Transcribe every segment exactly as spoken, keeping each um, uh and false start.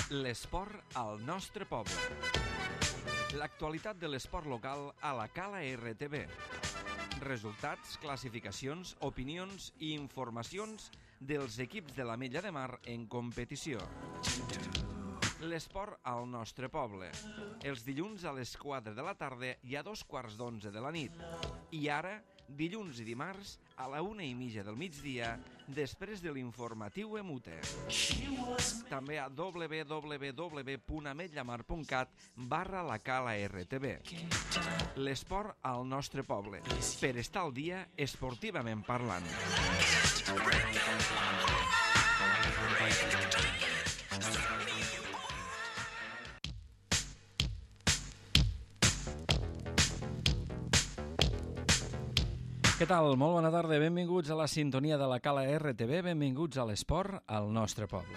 L'esport al nostre poble. L'actualitat de l'esport local a la Cala R T V. Resultats, classificacions, opinions i informacions dels equips de l'Ametlla de Mar en competició. L'esport al nostre poble. Els dilluns a les quatre de la tarda i a dos quarts d'onze de la nit. I ara, dilluns i dimarts, a la una i mitja del migdia, després de l'informatiu Emute. També a w w w punt ametllamar punt cat barra la Cala R T V. L'esport al nostre poble, per estar al dia esportivament parlant. Què tal? Molt bona tarda, benvinguts a la sintonia de la Cala R T V, benvinguts a l'esport al nostre poble.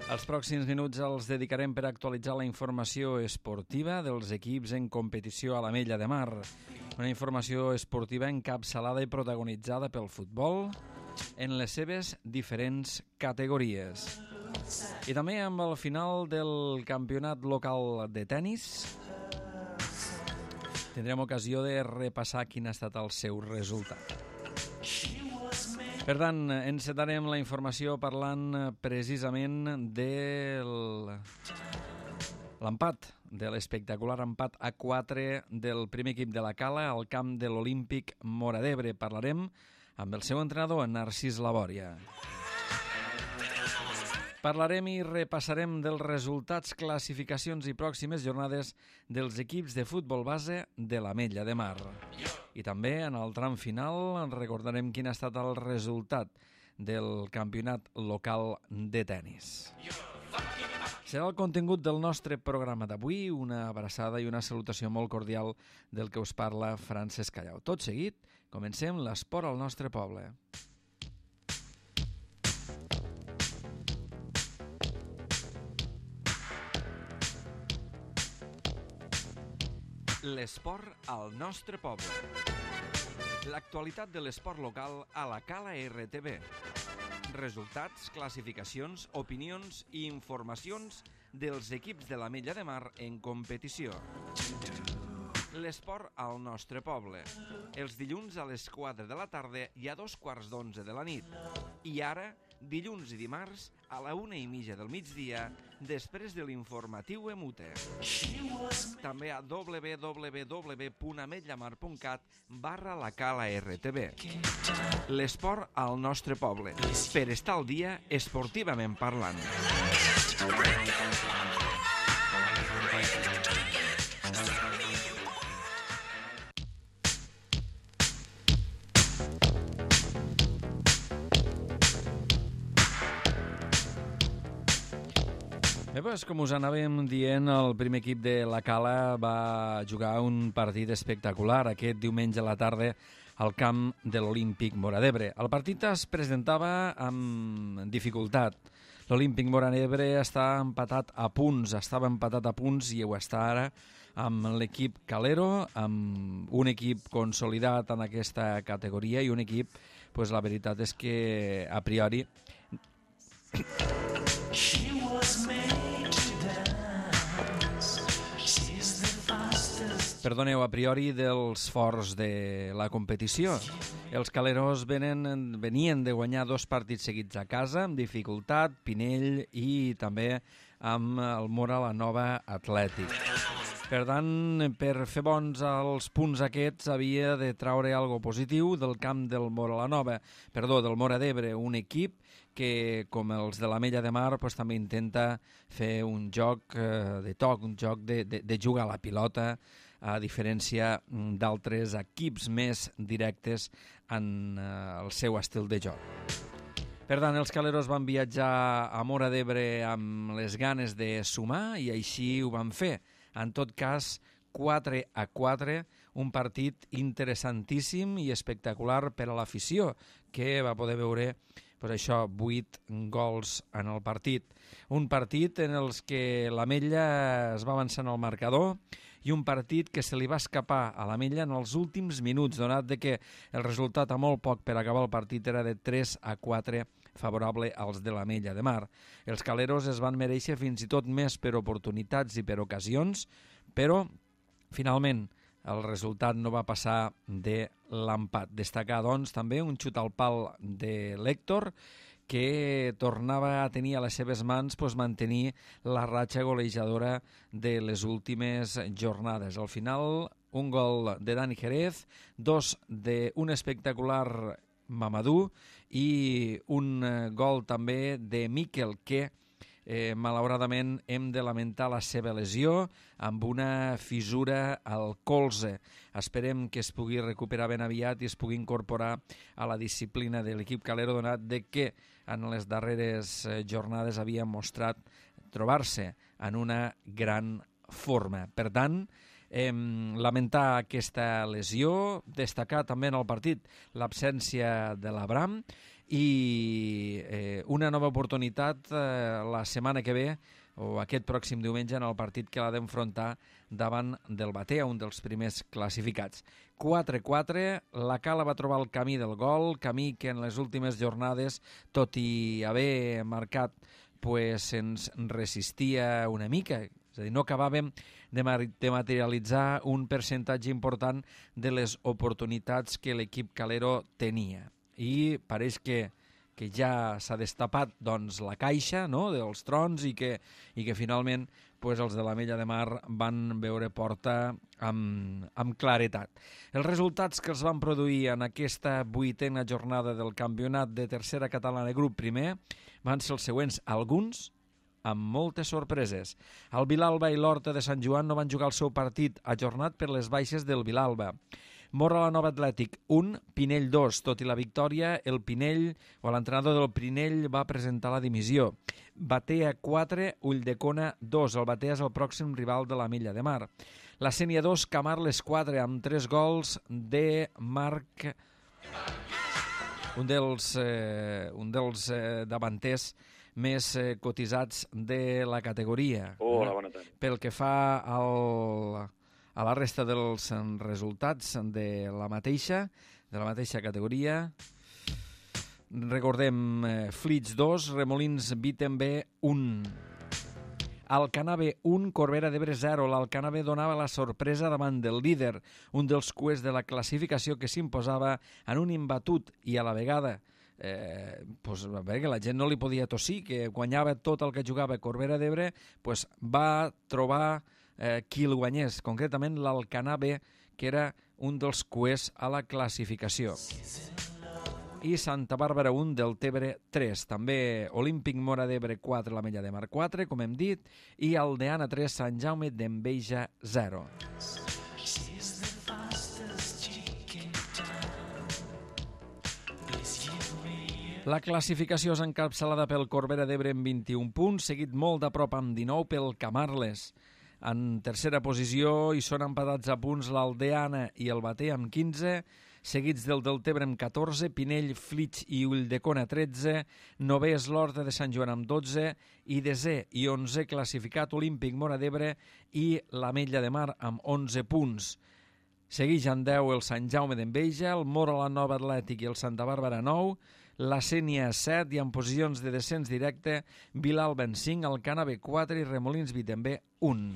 Els pròxims minuts els dedicarem per actualitzar la informació esportiva dels equips en competició a l'Ametlla de Mar. Una informació esportiva encapçalada i protagonitzada pel futbol en les seves diferents categories. I també amb el final del campionat local de tennis tindrem ocasió de repassar quin ha estat el seu resultat. Per tant, encetarem la informació parlant precisament de l'empat, de l'espectacular empat a quatre del primer equip de la Cala al camp de l'Olímpic Móra d'Ebre. Parlarem amb el seu entrenador, Narcís Labòria. Parlarem i repassarem dels resultats, classificacions i pròximes jornades dels equips de futbol base de l'Ametlla de Mar. I també, en el tram final, recordarem quin ha estat el resultat del campionat local de tennis. Serà el contingut del nostre programa d'avui, una abraçada i una salutació molt cordial del que us parla Francesc Callau. Tot seguit, comencem l'esport al nostre poble. L'esport al nostre poble. L'actualitat de l'esport local a la Cala R T V. Resultats, classificacions, opinions i informacions dels equips de l'Ametlla de Mar en competició. L'esport al nostre poble. Els dilluns a les quatre de la tarda i a dos quarts d'onze de la nit. I ara, dilluns i dimarts, a la una i mitja del migdia, després de l'informatiu Emute. També a w w w punt ametllamar punt cat barra la Cala R T V. L'esport al nostre poble, per estar al dia esportivament parlant. Bé, doncs, com us anàvem dient, el primer equip de la Cala va jugar un partit espectacular aquest diumenge a la tarda al camp de l'Olímpic Móra d'Ebre. El partit es presentava amb dificultat. L'Olímpic Móra d'Ebre està empatat a punts, estava empatat a punts i ho està ara amb l'equip Calero, amb un equip consolidat en aquesta categoria i un equip, doncs la veritat és que a priori... Perdoneu, a priori dels forts de la competició. Els caleros venen, venien de guanyar dos partits seguits a casa, amb dificultat, Pinell i també amb el Móra la Nova Atlètic. Per tant, per fer bons els punts aquests havia de traure algo positiu del camp del Móra la Nova, perdó, del Móra d'Ebre, un equip que, com els de l'Ametlla de Mar, doncs, també intenta fer un joc eh, de toc, un joc de, de, de jugar a la pilota, a diferència d'altres equips més directes en eh, el seu estil de joc. Per tant, els caleros van viatjar a Móra d'Ebre amb les ganes de sumar i així ho van fer. En tot cas, quatre a quatre, un partit interessantíssim i espectacular per a l'afició, que va poder veure per això vuit gols en el partit. Un partit en els que l'Ametlla es va avançar en el marcador i un partit que se li va escapar a l'Ametlla en els últims minuts, donat de que el resultat a molt poc per acabar el partit era de tres a quatre favorable als de l'Ametlla de Mar. Els caleros es van mereixer fins i tot més per oportunitats i per ocasions, però finalment el resultat no va passar de l'empat. Destacar, doncs, també un xut al pal de l'Héctor, que tornava a tenir a les seves mans pues, mantenir la ratxa golejadora de les últimes jornades. Al final, un gol de Dani Jerez, dos d'un espectacular Mamadou i un gol també de Miquel, que eh, malauradament hem de lamentar la seva lesió amb una fissura al colze. Esperem que es pugui recuperar ben aviat i es pugui incorporar a la disciplina de l'equip calero, donat de que en les darreres jornades havia mostrat trobar-se en una gran forma. Per tant, eh, lamentar aquesta lesió, destacar també en el partit l'absència de l'Abram i eh, una nova oportunitat eh, la setmana que ve o aquest pròxim diumenge en el partit que l'ha d'enfrontar davant del Batea, un dels primers classificats. quatre quatre, la Cala va trobar el camí del gol, camí que en les últimes jornades, tot i haver marcat, pues, ens resistia una mica. És a dir, no acabàvem de, de materialitzar un percentatge important de les oportunitats que l'equip calero tenia. I pareix que que ja s'ha destapat doncs, la caixa, no?, dels trons i que, i que finalment pues, els de l'Ametlla de Mar van veure porta amb, amb claretat. Els resultats que els van produir en aquesta vuitena jornada del campionat de tercera catalana grup primer van ser els següents, alguns amb moltes sorpreses. El Vilalba i l'Horta de Sant Joan no van jugar el seu partit ajornat per les baixes del Vilalba. Mora la Nova Atlètic un, Pinell dos. Tot i la victòria, el Pinell, o l'entrenador del Pinell, va presentar la dimissió. Batea quatre, Ulldecona dos. El Batea és el pròxim rival de l'Ametlla de Mar. La Sénia dos, Camarles quatre, amb tres gols de Marc, un dels, eh, un dels eh, davanters més eh, cotitzats de la categoria. Hola, bona tarda. Pel que fa al... a la resta dels resultats de la mateixa, de la mateixa categoria, recordem eh, Flits dos, Remolins Wittenbe un, Alcanar B un, Corbera d'Ebre zero. L'Alcanar B donava la sorpresa davant del líder, un dels cuers de la classificació que s'imposava en un imbatut i a la vegada eh, pues, a veure, que la gent no li podia tossir, que guanyava tot el que jugava Corbera d'Ebre, pues, va trobar Eh, qui el guanyés, concretament l'Alcanar B, que era un dels cuers a la classificació. I Santa Bàrbara un, Deltebre tres. També Olímpic Móra d'Ebre quatre, l'Ametlla de Mar quatre, com hem dit, i Aldeana tres, Sant Jaume d'Enveja zero. La classificació és encapçalada pel Corbera d'Ebre amb vint-i-un punts, seguit molt de prop amb dinou pel Camarles. En tercera posició hi són empatats a punts l'Aldeana i el Batea amb quinze, seguits del Deltebre amb catorze, Pinell, Flix i Ulldecona tretze, novè és l'Horta de Sant Joan amb dotze i desè i onzè classificat Olímpic Móra d'Ebre i l'Ametlla de Mar amb onze punts. Segueix en deu el Sant Jaume d'Enveja, el Mora la Nova Atlètic i el Santa Bàrbara nou, la Sénia set i en posicions de descens directe Vilalba en cinc, Alcanar B quatre i Remolins Wittenbe un.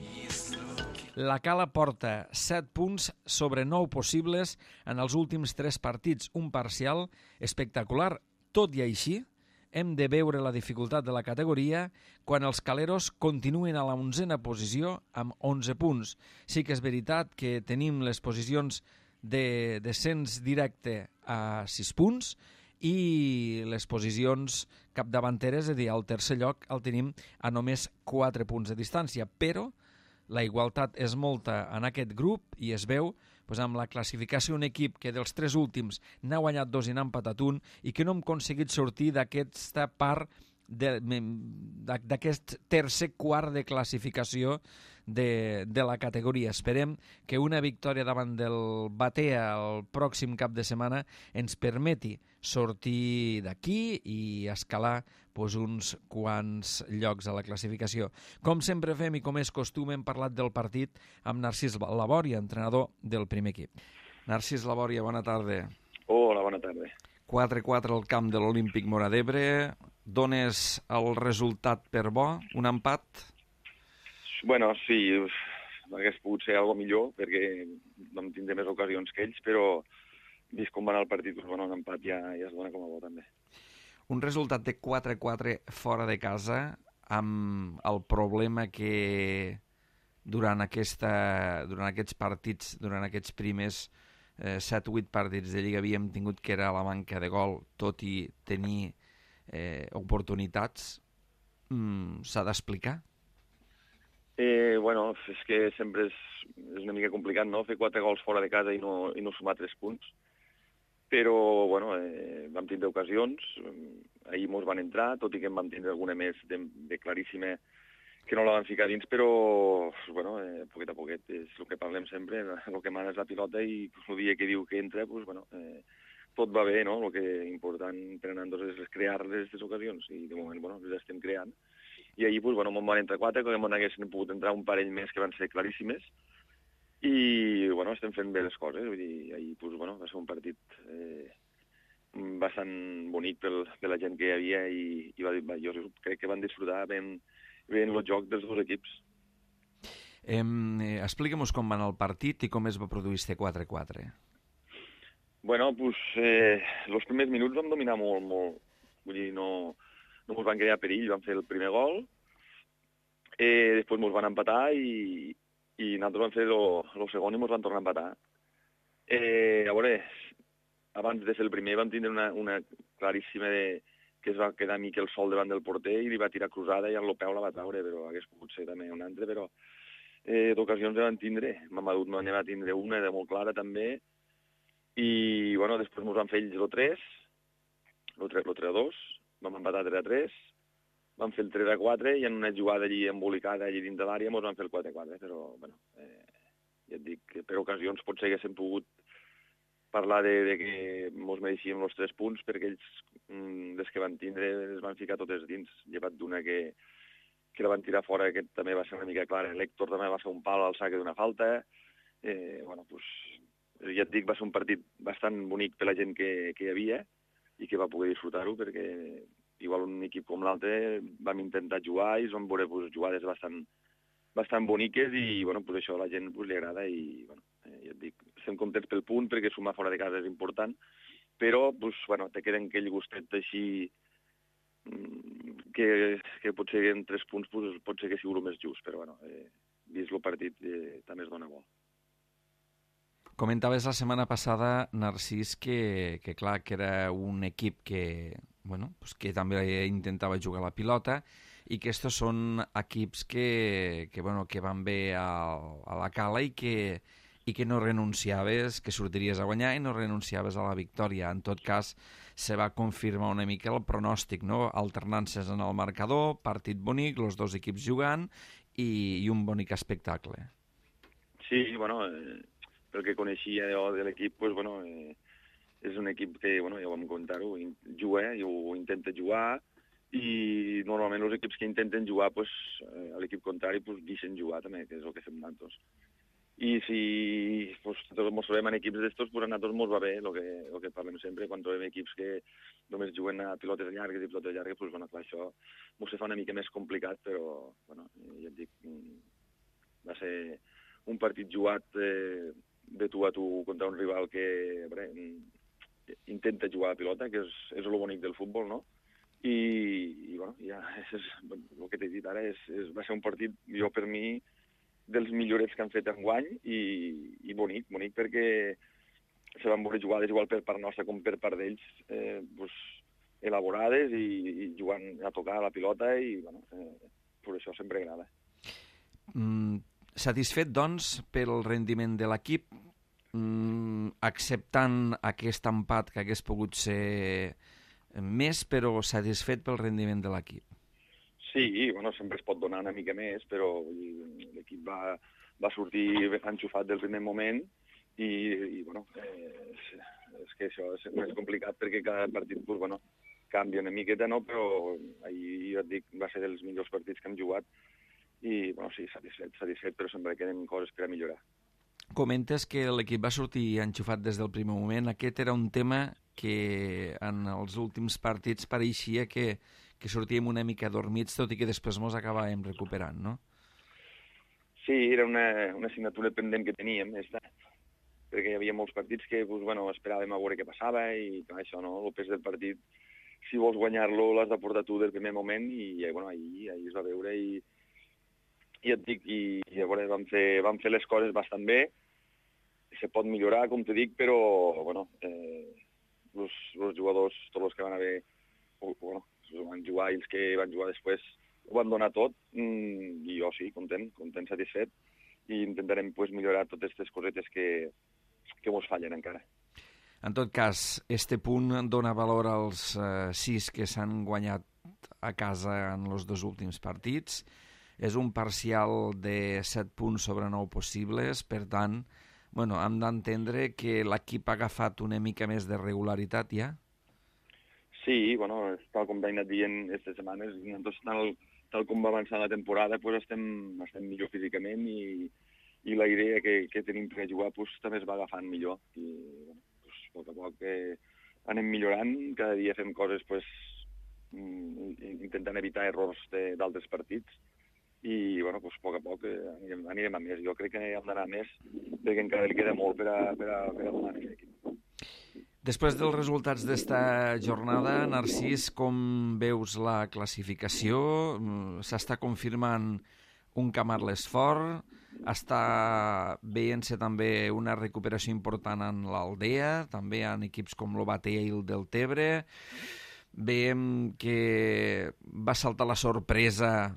La Cala porta set punts sobre nou possibles en els últims tres partits, un parcial espectacular. Tot i així, hem de veure la dificultat de la categoria quan els caleros continuen a la onzena posició amb onze punts. Sí que és veritat que tenim les posicions de descens directe a sis punts, i les posicions capdavanteres, és a dir, al tercer lloc el tenim a només quatre punts de distància, però la igualtat és molta en aquest grup i es veu pues, amb la classificació un equip que dels tres últims n'ha guanyat dos i n'ha empatat un i que no hem aconseguit sortir d'aquesta part d'aquest tercer quart de classificació de, de la categoria. Esperem que una victòria davant del Batea el pròxim cap de setmana ens permeti sortir d'aquí i escalar pues, uns quants llocs a la classificació. Com sempre fem i com és costum, hem parlat del partit amb Narcís Labòria, entrenador del primer equip. Narcís Labòria, bona tarda. Hola, bona tarda. quatre quatre al camp de l'Olímpic Móra d'Ebre. Dones el resultat per bo? Un empat? Bueno, sí, hagués pogut ser algo millor, perquè vam tindre més ocasions que ells, però vist com va anar el partit, doncs, bueno, un empat ja, ja es dona com a bo, també. Un resultat de quatre quatre fora de casa, amb el problema que durant, aquesta, durant aquests partits, durant aquests primers eh, set o vuit partits de Lliga havíem tingut, que era la manca de gol, tot i tenir eh, oportunitats, mm, s'ha d'explicar? Eh, bueno, és que sempre és, és una mica complicat, no?, fer quatre gols fora de casa i no, i no sumar tres punts. Però, bueno, eh, vam tindre ocasions, ahir mos van entrar, tot i que en vam tindre alguna més de, de claríssima que no la van ficar dins, però, bueno, eh, poquet a poquet, és el que parlem sempre, el que mana és la pilota i el dia que diu que entra, pues, bueno, eh, tot va bé, no? El que és important per a nosaltres és crear aquestes ocasions, i de moment, bueno, les estem creant. I ahir, pues, bueno, me'n van entrar quatre, que me'n haguessin pogut entrar un parell més que van ser claríssimes, i, bueno, estem fent bé les coses. Vull dir, ahir, pues, bueno, va ser un partit eh, bastant bonic pel, per la gent que hi havia, i, i va, va, jo crec que van disfrutar ben, ben el joc dels dos equips. Eh, eh, Explica'm-nos com va anar el partit i com es va produir este quatre quatre. Bueno, pues, eh, els primers minuts vam dominar molt, molt. Vull dir, no, no ens van crear perill, vam fer el primer gol, eh, després ens van empatar i, i nosaltres vam fer el segon i ens van tornar a empatar. Eh, a veure, abans de fer el primer vam tindre una, una claríssima de, que es va quedar Miquel sol davant del porter i li va tirar cruzada i en el peu la va traure, però hagués pogut ser també un altre, però eh, d'ocasions ja van tindre. Mamadou no va tindre una de molt clara també, i bueno, després ens van fer ells el tres, el tres a dos, vam empatar tres a tres, vam fer el tres a quatre i en una jugada allí embolicada allí dins de l'àrea ens van fer el quatre a quatre, però bueno, eh, ja et dic que per ocasions potser haguéssim pogut parlar de, de que ens mereixíem els tres punts, perquè ells, mm, des que van tindre, es van ficar totes dins, llevat d'una que, que la van tirar fora, que també va ser una mica clara. L'Héctor també va fer un pal al saque d'una falta. Eh, bueno, pues, ja et dic, va ser un partit bastant bonic per la gent que, que hi havia i que va poder disfrutar-ho, perquè igual un equip com l'altre vam intentar jugar i es van veure pues, jugades bastant, bastant boniques i bueno, pues, això a la gent pues, li agrada i bueno, eh, ja et dic, estem contents pel punt perquè sumar fora de casa és important, però pues, bueno, te queden aquell gustet així que, que potser en tres punts pues, pot ser que sigui el més just, però bueno, eh, vist el partit eh, també es dona bo. Comentaves la setmana passada, Narcís, que, que clar, que era un equip que, bueno, pues que també intentava jugar a la pilota i que estos són equips que, que, bueno, que van bé a, a la cala i que, i que no renunciaves, que sortiries a guanyar i no renunciaves a la victòria. En tot cas, se va confirmar una mica el pronòstic, no? Alternances en el marcador, partit bonic, els dos equips jugant i, i un bonic espectacle. Sí, bueno... Eh... el que coneixia de, de l'equip, pues, bueno, eh, és un equip que, bueno, ja ho vam comentar-ho, juga i ho intenta jugar, i normalment els equips que intenten jugar, pues, eh, a l'equip contrari, pues, deixen jugar també, que és el que fem nosaltres. I si pues, ens trobem en equips d'estos, pues, a nosaltres ens va bé, el que, el que parlem sempre, quan trobem equips que només juguen a pilotes llargues i pilotes llargues, pues, bueno, clar, això ens fa una mica més complicat, però, bueno, ja et dic, va ser un partit jugat eh, de tu a tu contra un rival que bé, intenta jugar a la pilota, que és, és el bonic del futbol, no? I, i bueno, ja, és, és, el que t'he dit ara és, és, va ser un partit, jo per mi, dels millorets que han fet enguany i, i bonic, bonic perquè se van veure jugades igual per part nostra com per part d'ells, eh, pues, elaborades i, i jugant a tocar la pilota i, bueno, eh, per això sempre agrada. Mm. Satisfet, doncs, pel rendiment de l'equip, mm, acceptant aquest empat que hagués pogut ser més, però satisfet pel rendiment de l'equip. Sí, bueno, sempre es pot donar una mica més, però l'equip va, va sortir enxufat del primer moment i, i bueno, eh, és, és que això és més complicat perquè cada partit pues, bueno, canvia una miqueta, no? Però ahir, jo et dic, va ser dels millors partits que hem jugat i, bueno, sí, satisfet, satisfet, però sempre queden coses per a millorar. Comentes que l'equip va sortir enxufat des del primer moment. Aquest era un tema que en els últims partits pareixia que, que sortíem una mica dormits, tot i que després mos acabàvem recuperant, no? Sí, era una, una assignatura pendent que teníem, esta, perquè hi havia molts partits que pues, bueno, esperàvem a veure què passava i clar, això, no? El pes del partit, si vols guanyar-lo, l'has de portar tu del primer moment i bueno, ahir, ahir es va veure i, i et dic, i, i llavors vam fer, vam fer les coses bastant bé, se pot millorar, com t'he dic, però bueno, eh, els, els jugadors, tots els que van haver, bueno, van jugar i els que van jugar després, ho van donar tot, mm, i jo sí, content, content, satisfet, i intentarem pues, millorar totes aquestes cosetes que, que mos fallen encara. En tot cas, este punt dona valor als eh, sis que s'han guanyat a casa en els dos últims partits. És un parcial de set punts sobre nou possibles, per tant, bueno, hem d'entendre que l'equip ha agafat una mica més de regularitat ja? Sí, bueno, tal com t'he anat dient aquestes setmanes, tal, tal com va avançar la temporada, pues estem, estem millor físicament i, i la idea que, que tenim per jugar pues, també es va agafant millor. I bueno, pues, a poc a poc eh, anem millorant, cada dia fem coses pues, intentant evitar errors d'altres partits i bueno, pues, a poc a poc eh, anirem, anirem a més. Jo crec que hem d'anar a més perquè encara li queda molt per a, per a, per a donar a aquest equip. Després dels resultats d'esta jornada, Narcís, com veus la classificació? S'està confirmant un Camarles fort, està veient-se també una recuperació important en l'Aldea, també en equips com l'Obatea i el Deltebre. Veiem que va saltar la sorpresa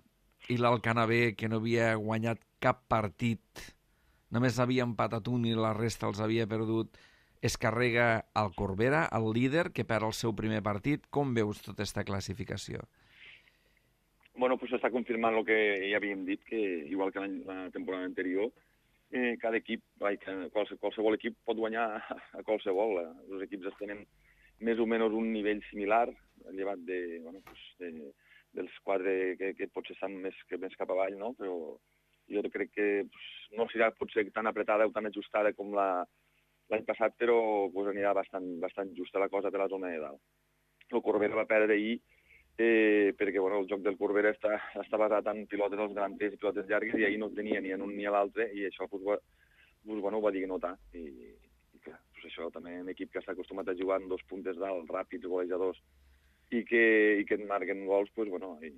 i l'Alcanavè, que no havia guanyat cap partit, només havia empatat un i la resta els havia perdut, es carrega al Corbera, el líder, que perd el seu primer partit. Com veus tota aquesta classificació? Bueno, pues s'està confirmant el que ja havíem dit, que igual que la temporada anterior, eh, cada equip, vai, qualsevol, qualsevol equip pot guanyar a, a qualsevol. Els equips tenen més o menys un nivell similar, llevat de, bueno, pues de, dels quatre que, que potser estan més, que més cap avall, no? Però jo crec que pues, no serà potser tan apretada o tan ajustada com la l'any passat, però pues, anirà bastant, bastant justa la cosa de la zona de dalt. El Corbera va perdre ahir eh, perquè bueno, el joc del Corbera està, està basat en pilotes als grans i pilotes llargues i ahir no tenia ni en un ni a l'altre i això pues, va, pues, bueno, ho va dir que notar. I, i clar, pues, això també un equip que està acostumat a jugar en dos puntes dalt, ràpids, golejadors, i que, i que et marquen gols, pues, bueno, i,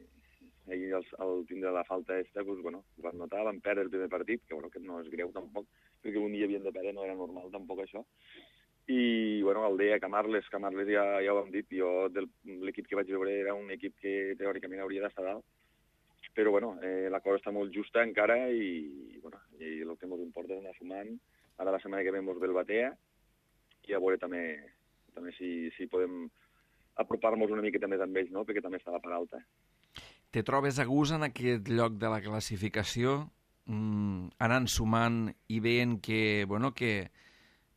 ahir el, el tindre la falta aquesta, pues, bueno, ho van notar, van perdre el primer partit, que, bueno, que no és greu tampoc, perquè un dia havien de perdre, no era normal tampoc això. I, bueno, Aldea, Camarles, Camarles ja, ja ho hem dit, jo l'equip que vaig veure era un equip que teòricament hauria d'estar dalt, però, bueno, eh, la cosa està molt justa encara i, bueno, i el que ens importa és anar sumant. Ara la setmana que ve ens ve el Batea i a veure també, també si, si podem apropar-nos una miqueta més amb ells, no?, perquè també està la part alta. Te trobes a gust en aquest lloc de la classificació, mm, anant sumant i veient que, bueno, que,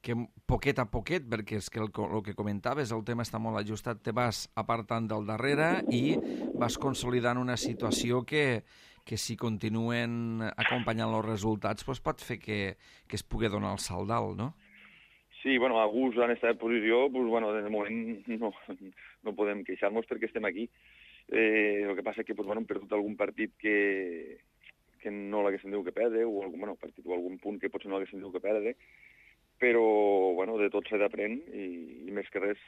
que poquet a poquet, perquè és que el, el que comentaves, el tema està molt ajustat, te vas apartant del darrere i vas consolidant una situació que, que si continuen acompanyant els resultats doncs pot fer que, que es pugui donar el salt dalt, no? Sí, bueno, a gust en aquesta posició, pues, bueno, de moment no, no podem queixar-nos perquè estem aquí. Eh, el que passa és que pues, bueno, hem perdut algun partit que, que no l'haguessin dit que perdre, o algun, bueno, partit, o algun punt que potser no l'haguessin dit que perdre, però bueno, de tot s'ha d'aprèn i, i més que res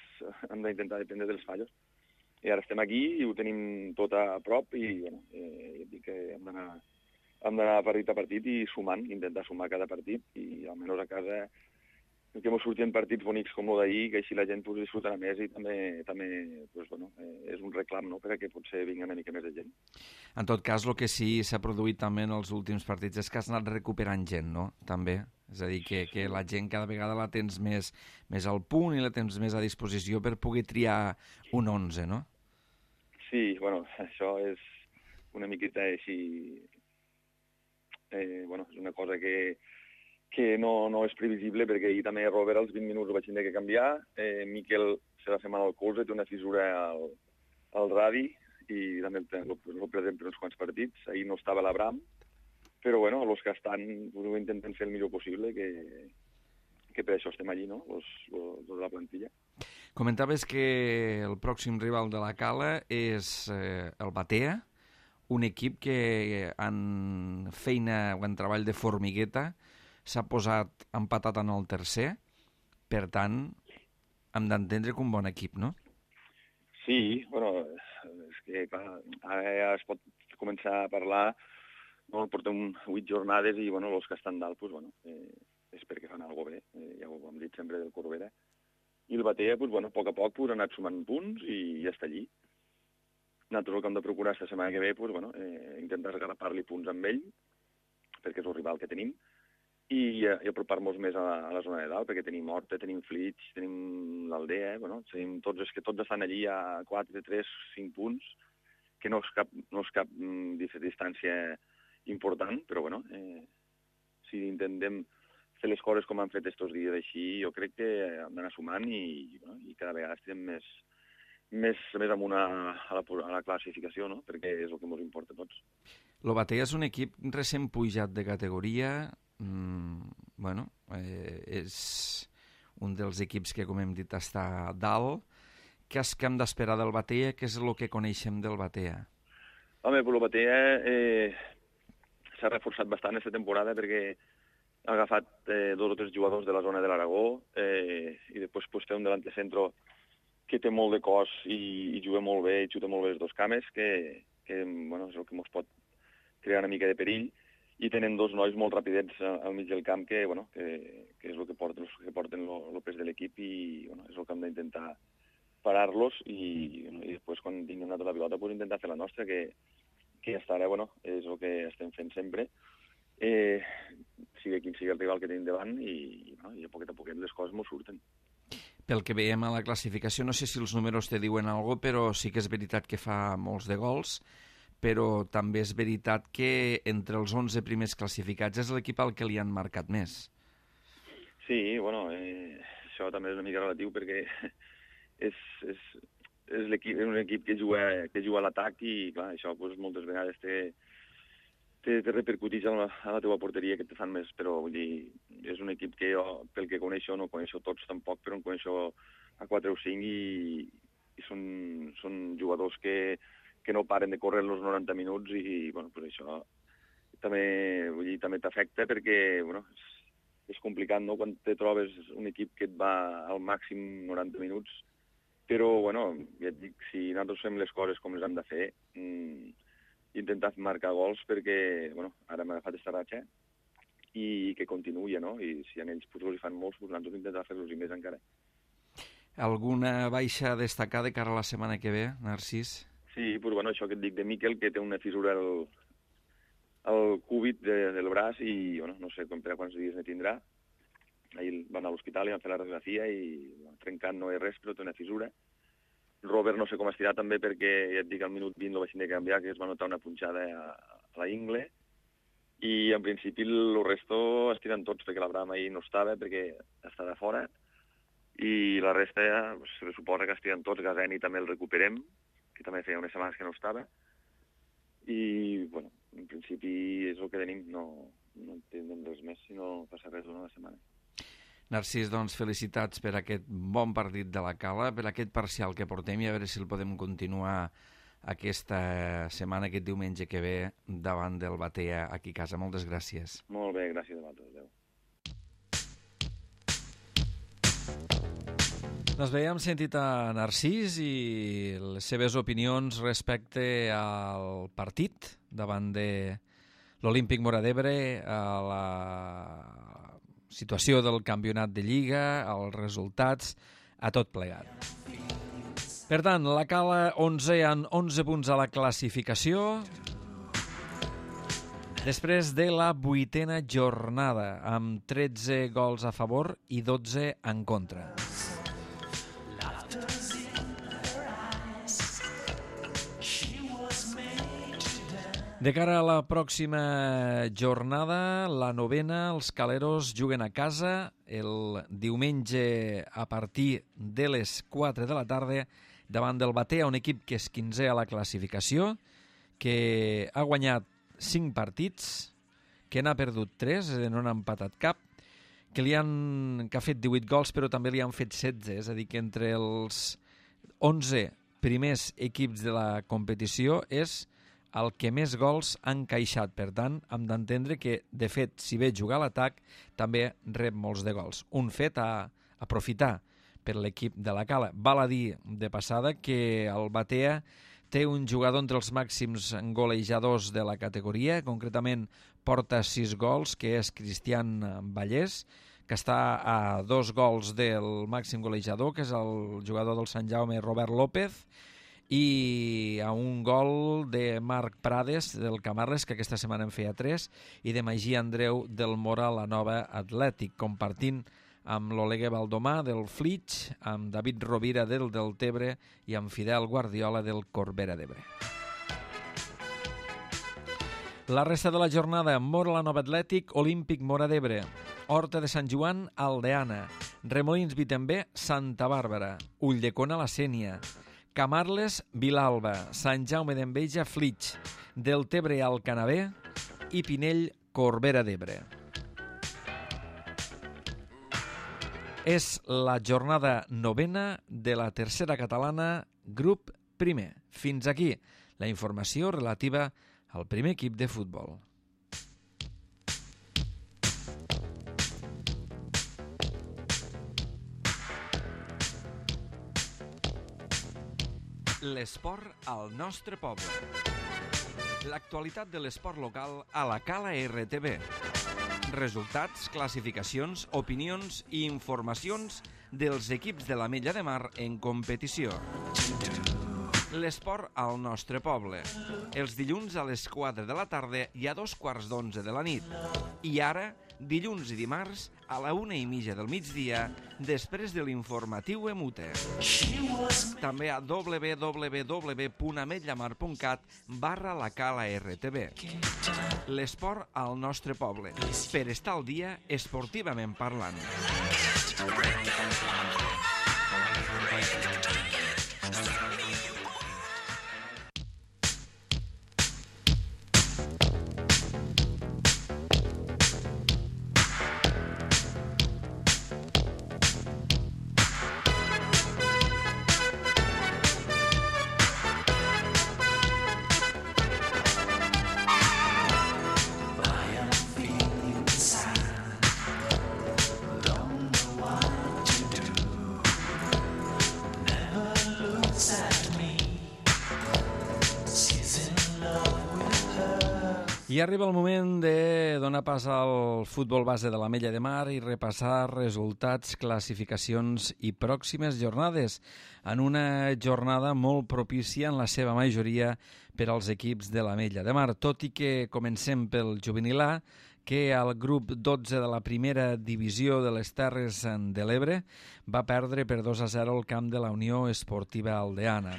hem d'intentar dependre dels fallos. I ara estem aquí i ho tenim tot a prop i bueno, eh, dic que hem d'anar hem d'anar partit a partit i sumant, intentar sumar cada partit i almenys a casa que ens surtin partits bonics com el d'ahir, que així la gent pues, disfrutarà més i també, també pues, bueno, eh, és un reclam, no?, perquè potser vingui una mica més de gent. En tot cas, el que sí s'ha produït també en els últims partits és que has anat recuperant gent, no?, també. És a dir, que, que la gent cada vegada la tens més, més al punt i la tens més a disposició per poder triar un onze, no? Sí, bueno, això és una miqueta així... Eh, bueno, és una cosa que que no, no és previsible, perquè ahir també Robert als vint minuts ho vaig tenir que canviar, eh, Miquel se va fer mal al colze, té una fissura al, al radi, i també el, el perdem per uns quants partits, ahir no estava l'Abram, però bueno, els que estan ho intenten fer el millor possible, que, que per això estem allí, no?, los, los, los de la plantilla. Comentaves que el pròxim rival de la Cala és eh, el Batea, un equip que en feina o en treball de formigueta s'ha posat empatat en el tercer, per tant, hem d'entendre que un bon equip, no? Sí, bueno, és que clar, ara ja es pot començar a parlar, no, portem vuit jornades i bueno, els que estan dalt, pues, bueno, eh, és perquè fan alguna cosa bé, eh, ja ho hem dit sempre del Corbera. I el Batea, pues, bueno, a poc a poc pues, ha anat sumant punts i ja està allí. Nosaltres el que hem de procurar aquesta setmana que ve, pues, bueno, eh, intentar agarrapar-li punts amb ell, perquè és el rival que tenim, i, i apropar-nos més a la, a la zona de dalt, perquè tenim Horta, tenim Flix, tenim l'Aldea, eh? Bueno, tenim tots, és que tots estan allí a quatre, tres, cinc punts, que no és cap, no és cap mm, distància important, però bueno, eh, si intentem fer les coses com han fet estos dies així, jo crec que hem d'anar sumant i, bueno, i cada vegada estem més, més, més amunt a, a, la, a la classificació, no? Perquè és el que ens importa a tots. El Batea és un equip recent pujat de categoria. Mm, bueno, eh, és un dels equips que, com hem dit, està a dalt. Què és que hem d'esperar del Batea? Què és el que coneixem del Batea? Home, però el Batea eh, s'ha reforçat bastant aquesta temporada perquè ha agafat eh, dos o tres jugadors de la zona de l'Aragó eh, i després pues, té un delante centro que té molt de cos i, i juga molt bé i xuta molt bé les dos cames, que, que bueno, és el que ens pot crear una mica de perill. I tenen dos nois molt rapidets al mig del camp que, bueno, que, que és el que porten, que porten el pes de l'equip i bueno, és el que hem d'intentar parar-los i, bueno, i després quan tinguem una tota la pilota pues, intentar fer la nostra, que, que hasta ara bueno, és el que estem fent sempre, eh, sigui quin sigui el rival que tenim davant i, bueno, i a poquet a poquet les coses ens surten. Pel que veiem a la classificació, no sé si els números te diuen alguna cosa, però sí que és veritat que fa molts de gols, però també és veritat que entre els onze primers classificats és l'equip al que li han marcat més. Sí, bueno, eh, això també és una mica relatiu perquè és, és, és, l'equip, és un equip que juga, que juga a l'atac i, clar, això pues, moltes vegades té, té, té repercutits a la, a la teva porteria que te fan més, però vull dir, és un equip que jo, pel que coneixo, no coneixo tots tampoc, però en coneixo a quatre o cinc i, i són, són jugadors que que no paren de córrer els noranta minuts i, bueno, pues això també, vull dir, també t'afecta perquè, bueno, és, és complicat, no?, quan te trobes un equip que et va al màxim noranta minuts, però, bueno, ja et dic, si nosaltres fem les coses com les hem de fer, mmm, intentar marcar gols perquè, bueno, ara m'ha agafat esta ratxa i que continuï, no?, i si en ells potser fan molts, pues nosaltres intentar fer-los i més encara. Alguna baixa a destacar de cara a la setmana que ve, Narcís? Sí, pues, bueno, això que et dic de Miquel, que té una fissura al, al cúbit de, del braç i bueno, no sé per a quants dies ne tindrà. Ahir van a l'hospital i van fer la radiografia i bueno, trencant no és res, però té una fissura. Robert no sé com estirà també perquè ja et dic al minut vint el vaig de canviar, que es va notar una punxada a, a la ingle i en principi el resto estiren tots perquè l'Abraham ahir no estava perquè estava fora i la resta ja se suposa que estiren tots, Gazeni també el recuperem, que també feia unes setmanes que no estava, i, bueno, en principi és el que tenim, no, no tindrem res més si no passa res durant la setmana. Narcís, doncs, felicitats per aquest bon partit de la Cala, per aquest parcial que portem i a veure si el podem continuar aquesta setmana, aquest diumenge que ve, davant del Batea aquí a casa. Moltes gràcies. Molt bé, gràcies a vosaltres. Adéu. Doncs bé, hem sentit a Narcís i les seves opinions respecte al partit davant de l'Olímpic Móra d'Ebre, a la situació del campionat de Lliga, als resultats, a tot plegat. Per tant, la Cala onze amb onze punts a la classificació, després de la vuitena jornada, amb tretze gols a favor i dotze en contra. De cara a la pròxima jornada, la novena, els caleros juguen a casa el diumenge a partir de les quatre de la tarda davant del Batea, un equip que és quinzè a la classificació, que ha guanyat cinc partits, que n'ha perdut tres, no n'ha empatat cap, que, li han, que ha fet divuit gols, però també li han fet setze, és a dir, que entre els onze primers equips de la competició és el que més gols han encaixat. Per tant, hem d'entendre que, de fet, si ve jugar a l'atac, també rep molts de gols. Un fet a aprofitar per l'equip de la Cala. Val a dir de passada que el Batea té un jugador entre els màxims golejadors de la categoria, concretament porta sis gols, que és Cristian Vallès, que està a dos gols del màxim golejador, que és el jugador del Sant Jaume, Robert López, i a un gol de Marc Prades del Camarles, que aquesta setmana en feia tres, i de Magí Andreu del Mora, la Nova Atlètic, compartint amb l'Olegue Baldomà del Flix, amb David Rovira del Deltebre i amb Fidel Guardiola del Corbera d'Ebre. La resta de la jornada: Mora, la Nova Atlètic, Olímpic, Mora d'Ebre, Horta de Sant Joan, Aldeana, Remolins, Vitembé, Santa Bàrbara, Ulldecona, la Sénia, Camarles, Vilalba, Sant Jaume d'Enveja, Flix, Deltebre, Alcanavè i Pinell, Corbera d'Ebre. És la jornada novena de la tercera catalana, grup primer. Fins aquí la informació relativa al primer equip de futbol. L'esport al nostre poble. L'actualitat de l'esport local a la Cala R T V. Resultats, classificacions, opinions i informacions dels equips de l'Ametlla de Mar en competició. L'esport al nostre poble. Els dilluns a les quatre de la tarda i a dos quarts d'onze de la nit. I ara, dilluns i dimarts, a la una i mitja del migdia, després de l'informatiu Emute. També a w w w punt ametllamar punt cat barra la Cala R T V. L'esport al nostre poble, per estar al dia esportivament parlant. I arriba el moment de donar pas al futbol base de l'Ametlla de Mar i repassar resultats, classificacions i pròximes jornades, en una jornada molt propícia en la seva majoria per als equips de l'Ametlla de Mar, tot i que comencem pel juvenil A, que al grup dotze de la primera divisió de les Terres de l'Ebre va perdre per dos a zero el camp de la Unió Esportiva Aldeana.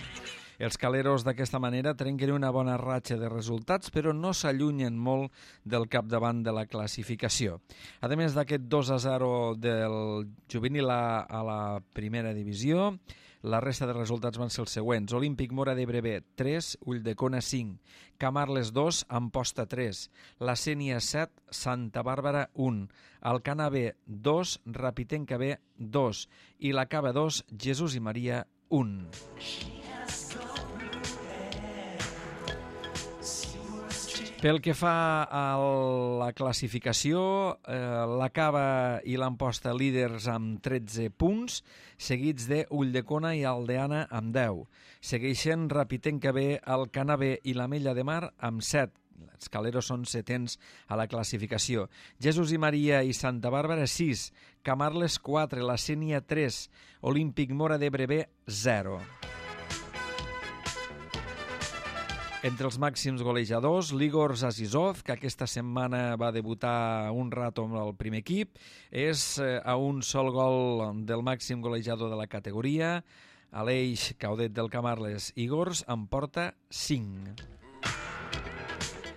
Els caleros d'aquesta manera trenquen una bona ratxa de resultats, però no s'allunyen molt del capdavant de la classificació. A més d'aquest dos a zero del juvenil A a la primera divisió, la resta de resultats van ser els següents. Olímpic Mora d'Ebre B, tres, Ulldecona cinc, Camarles dos, Amposta tres, la Sénia set, Santa Bàrbara un, Alcana B dos, Rapitenca B dos i la Cava dos, Jesús i Maria un. Pel que fa a la classificació, eh, la Cava i l'Amposta líders amb tretze punts, seguits de Ulldecona i Aldeana amb deu. Segueixen Rapitenca B, Alcana B i l'Ametlla de Mar amb set. Els caleros són setens a la classificació. Jesús i Maria i Santa Bàrbara sis, Camarles quatre, la Sénia tres, Olímpic Mora d'Ebre B zero. Entre els màxims golejadors, l'Igor Azizov, que aquesta setmana va debutar un rato amb el primer equip, és a un sol gol del màxim golejador de la categoria. Aleix Caudet del Camarles Igors en porta cinc.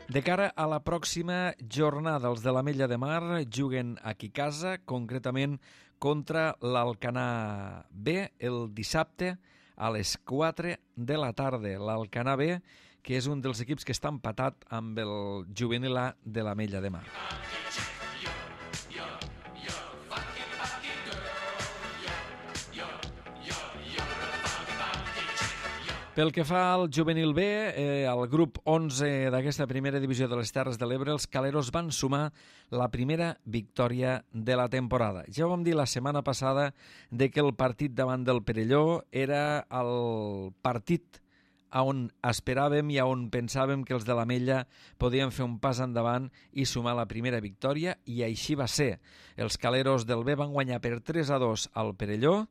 De cara a la pròxima jornada, els de l'Ametlla de Mar juguen aquí a casa, concretament contra l'Alcanar B el dissabte a les quatre de la tarda. L'Alcanar B, que és un dels equips que està empatat amb el juvenil A de l'Ametlla de Mar. Pel que fa al juvenil B, eh, al grup onze d'aquesta primera divisió de les Terres de l'Ebre, els caleros van sumar la primera victòria de la temporada. Ja ho vam dir la setmana passada de que el partit davant del Perelló era el partit on esperàvem i on pensàvem que els de l'Ametlla podien fer un pas endavant i sumar la primera victòria, i així va ser. Els caleros del B van guanyar per tres a dos al Perelló,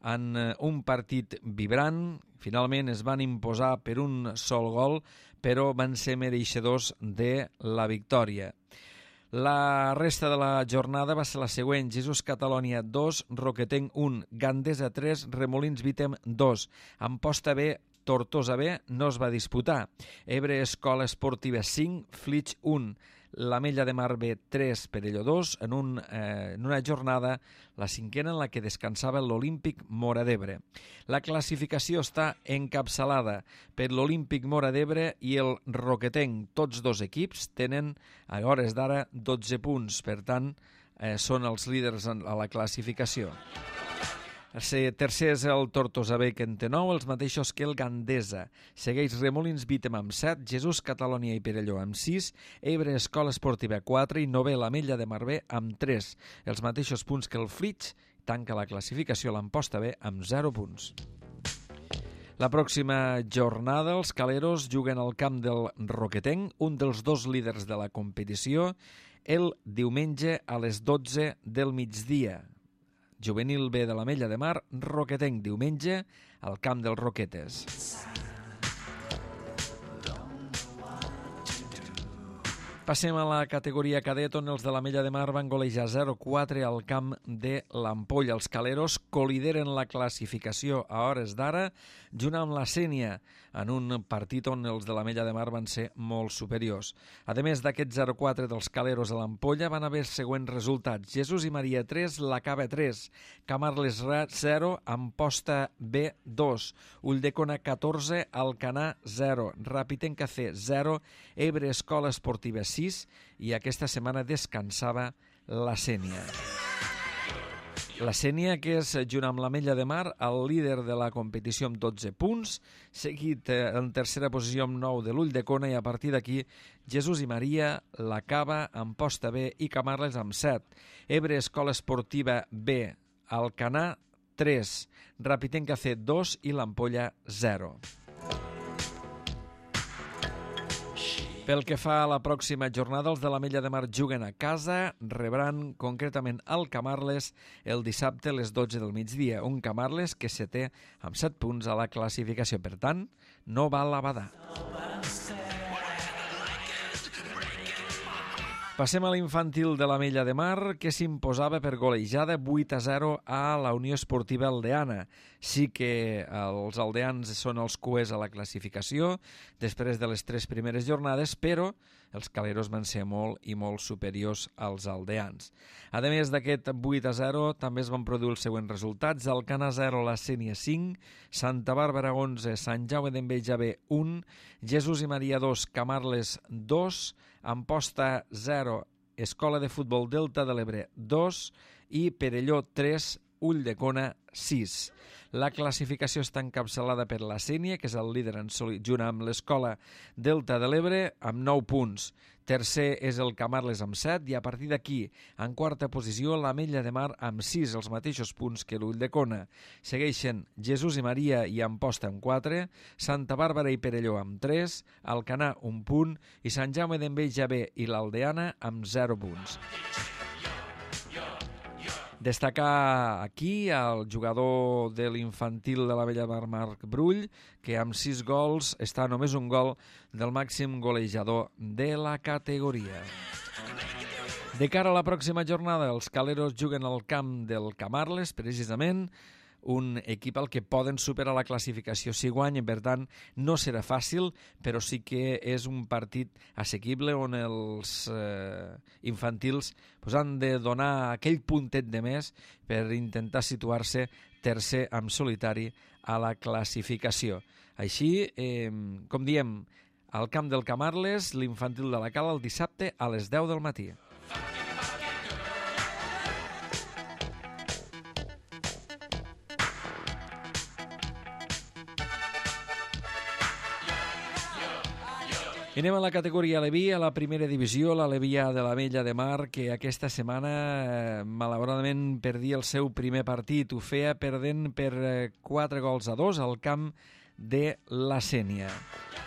en un partit vibrant. Finalment es van imposar per un sol gol, però van ser mereixedors de la victòria. La resta de la jornada va ser la següent: Jesús Catalònia dos, Roquetenc un, Gandesa tres, Remolins Vítem dos. Amposta B, Tortosa B no es va disputar. Ebre Escola Esportiva cinc, Flix un, l'Ametlla de Mar B tres, Perelló dos, en, un, eh, en una jornada, la cinquena, en la que descansava l'Olímpic Móra d'Ebre. La classificació està encapçalada per l'Olímpic Móra d'Ebre i el Roquetenc. Tots dos equips tenen, a hores d'ara, dotze punts. Per tant, eh, són els líders a la classificació. El tercer és el Tortosa B, que en té nou, els mateixos que el Gandesa. Segueix Remolins Vítem amb set, Jesús Catalònia i Perelló amb sis, Ebre Escola Esportiva quatre i novè l'Ametlla de Mar B amb tres. Els mateixos punts que el Flix. Tanca la classificació l'Amposta B amb zero punts. La pròxima jornada els caleros juguen al camp del Roquetenc, un dels dos líders de la competició, el diumenge a les dotze del migdia. Juvenil B de l'Ametlla de Mar, Roquetenc, diumenge, al camp dels Roquetes. Passem a la categoria cadet, on els de l'Ametlla de Mar van golejar zero quatre al camp de l'Ampolla. Els caleros colideren la classificació a hores d'ara, junt amb la Sénia, en un partit on els de l'Ametlla de Mar van ser molt superiors. A més d'aquest zero quatre dels caleros a l'Ampolla, van haver següents resultats: Jesús i Maria tres, la Cava tres, Camarles zero, Amposta B dos, Ulldecona catorze, Alcanar zero, Rapitenca C zero, Ebre Escola Esportiva sis, i aquesta setmana descansava la Sénia. La Sénia, que és, junt amb l'Ametlla de Mar, el líder de la competició amb dotze punts, seguit en tercera posició amb nou de l'Ulldecona, i a partir d'aquí Jesús i Maria, la Cava, Amposta B i Camarles amb set. Ebre Escola Esportiva B, Alcanar tres, Rapitenca C dos i l'Ampolla zero. Pel que fa a la pròxima jornada, els de l'Ametlla de Mar juguen a casa, rebran concretament el Camarles el dissabte a les dotze del migdia, un Camarles que se té amb set punts a la classificació. Per tant, no val a badar. Passem a l'infantil de l'Ametlla de Mar, que s'imposava per golejada vuit a zero a la Unió Esportiva Aldeana. Sí que els aldeans són els cuers a la classificació després de les tres primeres jornades, però els caleros van ser molt i molt superiors als aldeans. A més d'aquest vuit a zero, també es van produir els següents resultats: Alcanar zero, la Sénia cinc, Santa Bàrbara onze, Sant Jaume d'Enveja B un, Jesús i Maria dos, Camarles dos, Amposta zero, Escola de Futbol Delta de l'Ebre dos i Perelló tres, Ulldecona sis. La classificació està encapçalada per la Sénia, que és el líder en soli, junt amb l'Escola Delta de l'Ebre, amb nou punts. Tercer és el Camarles amb set, i a partir d'aquí, en quarta posició, l'Ametlla de Mar amb sis, els mateixos punts que l'Ulldecona. Segueixen Jesús i Maria i Amposta amb quatre, Santa Bàrbara i Perelló amb tres, Alcanar un punt i Sant Jaume d'Enveja B i l'Aldeana amb zero punts. Destacar aquí el jugador de l'infantil de l'Ametlla de Mar, Marc Brull, que amb sis gols està només un gol del màxim golejador de la categoria. De cara a la pròxima jornada, els caleros juguen al camp del Camarles, precisament, un equip al que poden superar la classificació si guanyen. Per tant, no serà fàcil, però sí que és un partit assequible on els eh, infantils pues, han de donar aquell puntet de més per intentar situar-se tercer en solitari a la classificació. Així, eh, com diem, al camp del Camarles, l'infantil de la Cala, el dissabte a les deu del matí. I anem a la categoria Aleví, a la primera divisió, l'Aleví A de l'Ametlla de Mar, que aquesta setmana, eh, malauradament, perdia el seu primer partit. Ho feia perdent per quatre gols a dos al camp de la Sénia.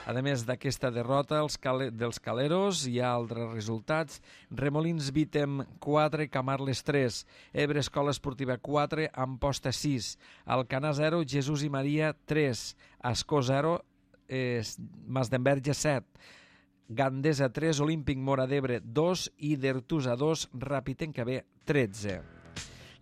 A més d'aquesta derrota els cal dels Caleros, hi ha altres resultats. Remolins Vítem quatre, Camarles tres, Ebre Escola Esportiva quatre, Amposta sis, Alcanar zero, Jesús i Maria tres, Ascó zero, eh, Masdenverge set, Gandesa tres, Olímpic Móra d'Ebre dos i d'Ertusa dos, Rapitenca B tretze.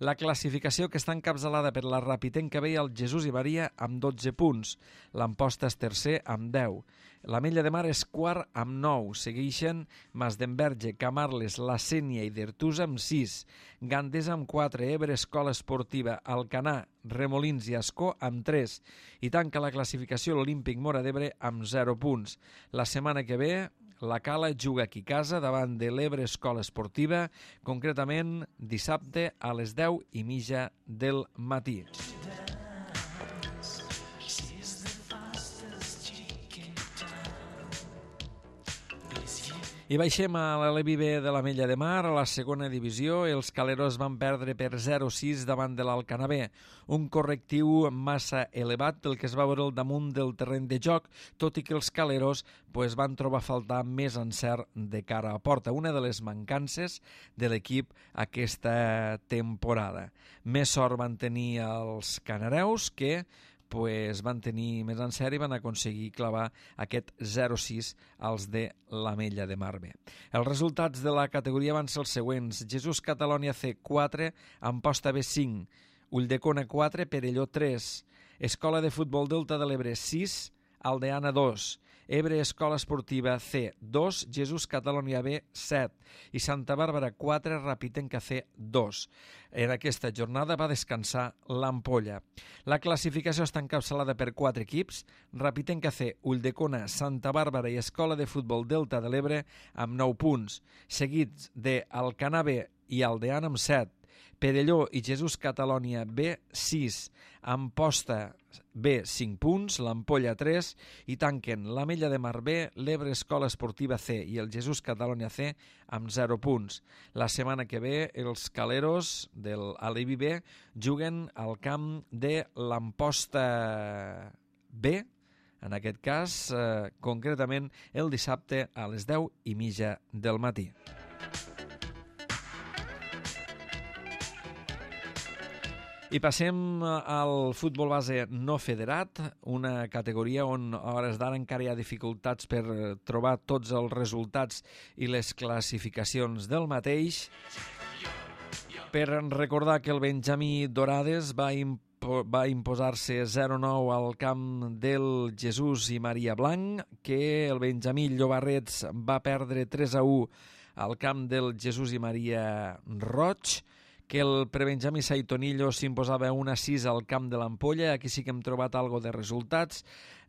La classificació, que està encapçalada per la Rapitenca B i el Jesús i Maria amb dotze punts. L'Amposta és tercer amb deu. L'Ametlla de Mar és quart amb nou. Segueixen Masdenverge, Camarles, La Sénia i d'Ertusa amb sis. Gandesa amb quatre, Ebre Escola Esportiva, Alcanar, Remolins i Ascó amb tres. I tanca la classificació l'Olímpic Móra d'Ebre amb zero punts. La setmana que ve la Cala juga aquí a casa davant de l'Ebre Escola Esportiva, concretament dissabte a les deu i mitja del matí. I baixem a l'Aleví B de l'Ametlla de Mar, a la segona divisió. Els Caleros van perdre per zero a sis davant de l'Alcanar B, un correctiu massa elevat del que es va veure al damunt del terreny de joc, tot i que els Caleros pues, van trobar a faltar més encert de cara a porta, una de les mancances de l'equip aquesta temporada. Més sort van tenir els canareus, que pues van tenir més encert i van aconseguir clavar aquest zero a sis als de l'Ametlla de Mar B. Els resultats de la categoria van ser els següents: Jesús Catalònia C quatre, Amposta B cinc, Ulldecona quatre, Perelló tres, Escola de Futbol Delta de l'Ebre sis, Aldeana dos, Ebre Escola Esportiva C dos, Jesús Catalònia B set i Santa Bàrbara quatre, Rapitenca C dos. En aquesta jornada va descansar l'Ampolla. La classificació està encapçalada per quatre equips: Rapitenca C, Ulldecona, Santa Bàrbara i Escola de Futbol Delta de l'Ebre amb nou punts, seguits de Alcanar B i Aldeana amb set, Perelló i Jesús Catalònia B sis, Amposta B cinc punts, l'Ampolla tres i tanquen l'Ametlla de Mar B, l'Ebre Escola Esportiva C i el Jesús Catalònia C amb zero punts. La setmana que ve els Caleros de l'Aleví B juguen al camp de l'Amposta B, en aquest cas eh, concretament el dissabte a les deu i mitja del matí. I passem al futbol base no federat, una categoria on a hores d'ara encara hi ha dificultats per trobar tots els resultats i les classificacions del mateix. Per recordar que el Benjamí Dorades va impo va imposar-se zero a nou al camp del Jesús i Maria Blanc, que el Benjamí Llobarrets va perdre tres a u al camp del Jesús i Maria Roig, que el prebenjamí Saitonillo s'imposava un a sis al camp de l'Ampolla. Aquí sí que hem trobat algo de resultats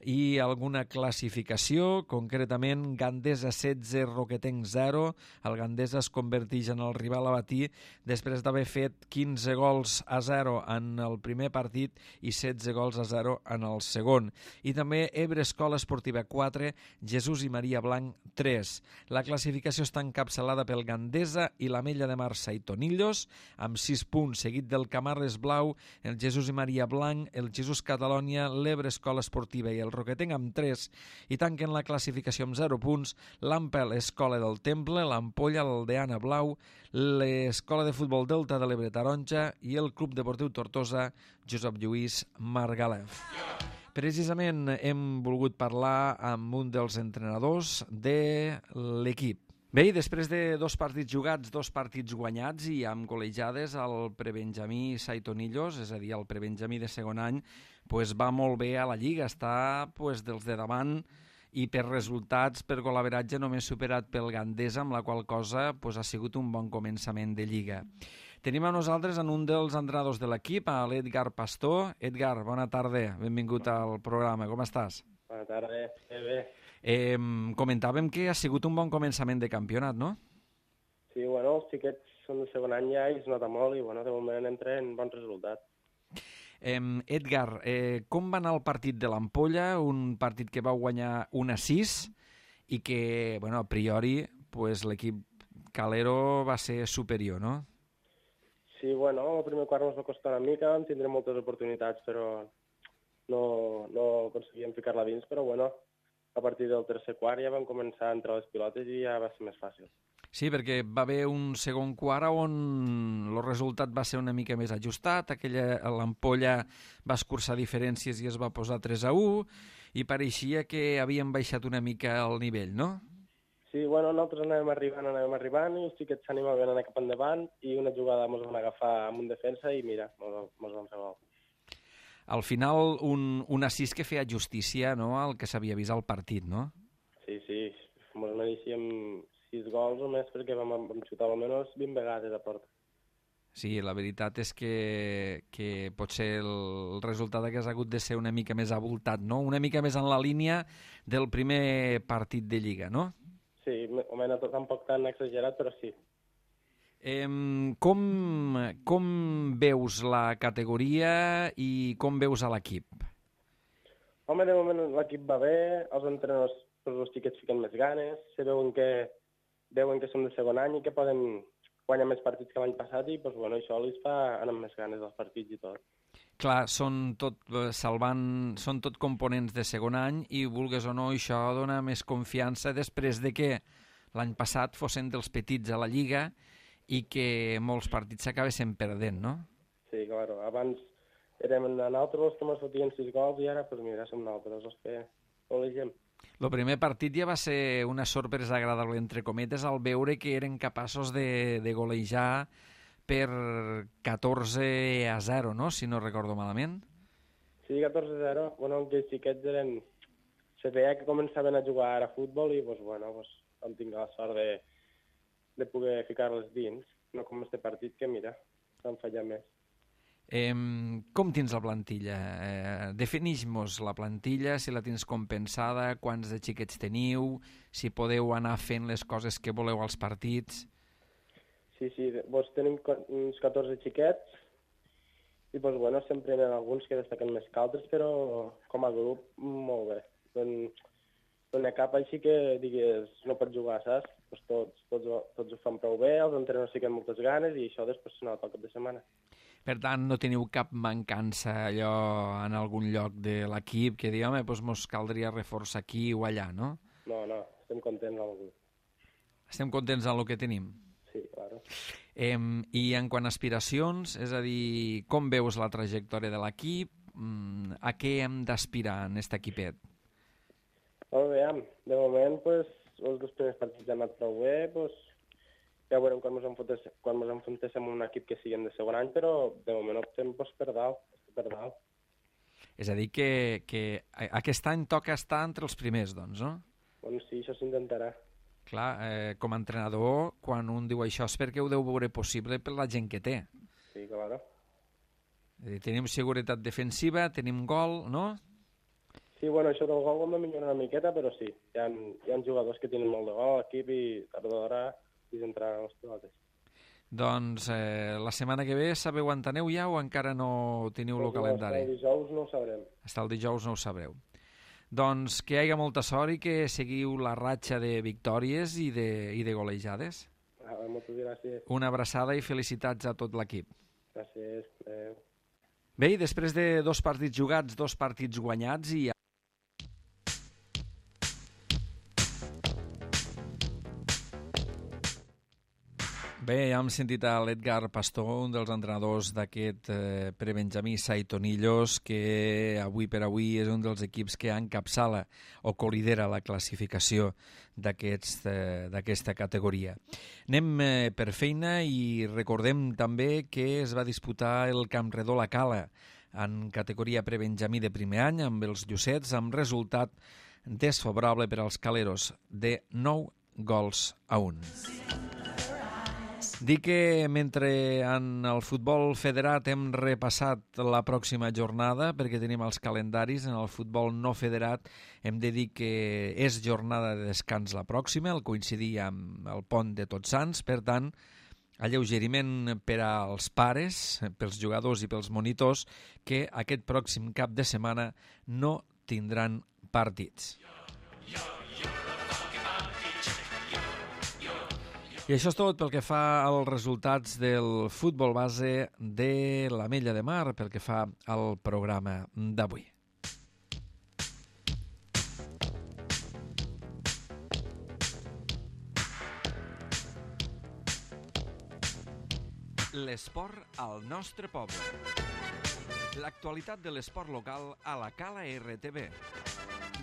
i alguna classificació, concretament Gandesa setze, Roquetenc zero. El Gandesa es converteix en el rival a batir després d'haver fet quinze gols a zero en el primer partit i setze gols a zero en el segon. I també Ebre Escola Esportiva quatre, Jesús i Maria Blanc tres. La classificació està encapçalada pel Gandesa i l'Ametlla de Mar Saitonillos, amb sis punts, seguit del Camarles Blau, el Jesús i Maria Blanc, el Jesús Catalònia, l'Ebre Escola Esportiva i el Roquetenc amb tres, i tanquen la classificació amb zero punts l'Ampel Escola del Temple, l'Ampolla, l'Aldeana Blau, l'Escola de Futbol Delta de l'Ebre Taronja i el Club Deportiu Tortosa Josep Lluís Margalef. Precisament hem volgut parlar amb un dels entrenadors de l'equip. Bé, després de dos partits jugats, dos partits guanyats i amb col·legiades, el prebenjamí Saitonillos, és a dir, el prebenjamí de segon any, pues va molt bé a la Lliga, està pues, dels de davant i per resultats, per golaveratge, només superat pel Gandesa, amb la qual cosa pues, ha sigut un bon començament de Lliga. Tenim a nosaltres en un dels entrenadors de l'equip, a l'Edgar Pastor. Edgar, bona tarda, benvingut al programa, com estàs? Bona tarda, bé, bé. Eh, comentàvem que ha sigut un bon començament de campionat, no? Sí, bueno, els xiquets són de segon any ja i es nota molt i, bueno, de moment entren bons resultats. Eh, Edgar, eh, com va anar el partit de l'Ampolla? Un partit que va guanyar un a sis i que, bueno, a priori, pues, l'equip calero va ser superior, no? Sí, bueno, el primer quart ens va costar una mica, vam tindre moltes oportunitats, però no, no aconseguíem ficar-la dins, però bueno, a partir del tercer quart ja vam començar a entrar les pilotes i ja va ser més fàcil. Sí, perquè va haver un segon quart on el resultat va ser una mica més ajustat, aquella l'ampolla va escurçar diferències i es va posar tres a u, i pareixia que havien baixat una mica el nivell, no? Sí, bueno, nosaltres anàvem arribant, anàvem arribant, i els xiquets s'animaven a anar cap endavant, i una jugada ens van agafar amb un defensa i mira, ens van fer gol. Al final, un, un assist que feia justícia, no?, al que s'havia vist al partit, no? Sí, sí, ens mereixíem sis gols o més perquè vam, vam xutar almenys vint vegades a porta. Sí, la veritat és que, que potser el resultat hagués hagut de ser una mica més abultat, no? Una mica més en la línia del primer partit de Lliga, no? Sí, o menys tampoc tan exagerat, però sí. Eh, com, com veus la categoria i com veus a l'equip? Home, de moment l'equip va bé, els entrenadors, els xiquets fiquen més ganes, se veuen que, veuen que som de segon any i que poden guanyar més partits que l'any passat i pues, bueno, això els fa anar amb més ganes dels partits i tot. Clar, són tot, salvant, són tot components de segon any i, vulgues o no, això dona més confiança després de que l'any passat fossin dels petits a la Lliga i que molts partits s'acabessin perdent, no? Sí, claro. Abans érem nosaltres els que ens fotien sis gols i ara, pues mira, som nosaltres els que elegem. El primer partit ja va ser una sorpresa agradable, entre cometes, al veure que eren capaços de, de golejar per catorze a zero, no?, si no recordo malament. Sí, catorze a zero. Bueno, aquells xiquets eren... Se veia que començaven a jugar a futbol i, pues, bueno, pues, vam tingut la sort de, de poder ficar-les dins. No com este partit que, mira, s'han fallat més. Eh, com tens la plantilla? Eh, Definix-nos la plantilla, si la tens compensada, quants de xiquets teniu, si podeu anar fent les coses que voleu als partits... Sí, sí, doncs tenim uns catorze xiquets i doncs, bueno, sempre hi ha alguns que destaquen més que altres, però com a grup molt bé. No, no n'hi ha cap així que digues no pot jugar, saps? Doncs tots, tots, tots ho fan prou bé, els entrenadors fiquen moltes ganes i això després s'anava pel cap de setmana. Per tant, no teniu cap mancança allò en algun lloc de l'equip que digui, home, doncs mos caldria reforçar aquí o allà, no? No, no, estem contents amb el grup. Estem contents amb el que tenim. Sí, claro. Eh, I en quant a aspiracions, és a dir, com veus la trajectòria de l'equip? A què hem d'aspirar en aquest equipet? Molt bé, de moment, pues, els dos primers partits han anat prou bé, pues, ja veurem quan ens enfrontéssim, quan ens enfrontéssim amb un equip que siguin de segon any, però de moment optem pues, per dalt, per dalt. És a dir, que, que aquest any toca estar entre els primers, doncs, no? Bueno, sí, això s'intentarà. Clar, eh, com a entrenador, quan un diu això és perquè ho deu veure possible per la gent que té. Sí, claro. És a dir, tenim seguretat defensiva, tenim gol, no? Sí, bueno, això del gol ho hem de millorar una miqueta, però sí, hi ha, hi ha jugadors que tenen molt de gol a l'equip i tard o d'hora hi entraran les pilotes. Doncs eh, la setmana que ve sabeu on aneu ja o encara no teniu el calendari? El dijous no ho sabrem. Hasta el dijous no ho sabreu. Doncs que hi hagi molta sort i que seguiu la ratxa de victòries i de, i de golejades. Ah, moltes gràcies. Una abraçada i felicitats a tot l'equip. Gràcies. Eh... Bé, i després de dos partits jugats, dos partits guanyats i... Bé, ja hem sentit a l'Edgar Pastor, un dels entrenadors d'aquest eh, prebenjamí Saitonillos, que avui per avui és un dels equips que encapçala o colidera la classificació d'aquesta aquest, eh, categoria. Anem eh, per feina i recordem també que es va disputar el Camp Redó La Cala en categoria prebenjamí de primer any amb els Llucets, amb resultat desfavorable per als caleros de nou gols a un. Dic que mentre en el futbol federat hem repassat la pròxima jornada, perquè tenim els calendaris, en el futbol no federat hem de dir que és jornada de descans la pròxima, el coincidir amb el pont de Tots Sants, per tant, alleugeriment per als pares, pels jugadors i pels monitors, que aquest pròxim cap de setmana no tindran partits. I això és tot pel que fa als resultats del futbol base de l'Ametlla de Mar, pel que fa al programa d'avui. L'esport al nostre poble. L'actualitat de l'esport local a la Cala R T V.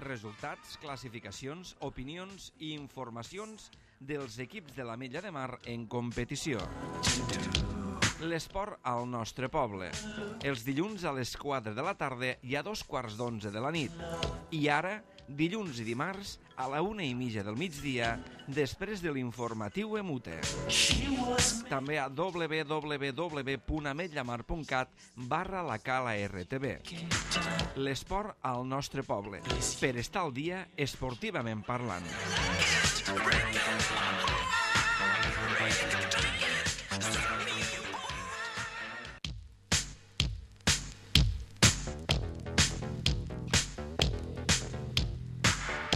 Resultats, classificacions, opinions i informacions dels equips de l'Ametlla de Mar en competició. L'esport al nostre poble. Els dilluns a les quatre de la tarda i a dos quarts d'onze de la nit. I ara, dilluns i dimarts, a la una i mitja del migdia, després de l'informatiu Emute. També a w w w punt ametllamar punt cat barra la Cala R T V. L'esport al nostre poble. Per estar al dia, esportivament parlant.